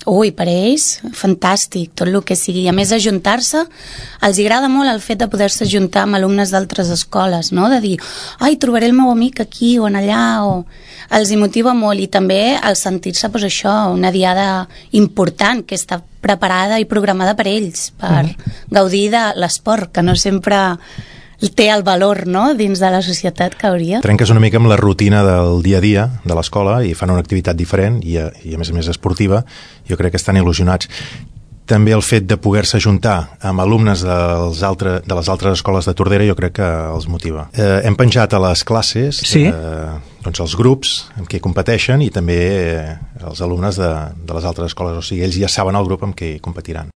Ui, per ells, fantàstic, tot el que sigui. A més, ajuntar-se, els agrada molt el fet de poder-se ajuntar amb alumnes d'altres escoles, no? De dir, ai, trobaré el meu amic aquí o en allà, o... Els hi motiva molt, i també el sentir-se, doncs això, una diada important que està preparada i programada per ells, per gaudir de l'esport, que no sempre té el valor, no?, dins de la societat que hauria. Trenques una mica amb la rutina del dia a dia de l'escola i fan una activitat diferent i a més esportiva. Jo crec que estan il·lusionats. També el fet de poder-se ajuntar amb alumnes de les altres escoles de Tordera jo crec que els motiva. Hem penjat a les classes doncs els grups amb què competeixen i també els alumnes de les altres escoles, o sigui, ells ja saben el grup amb què competiran.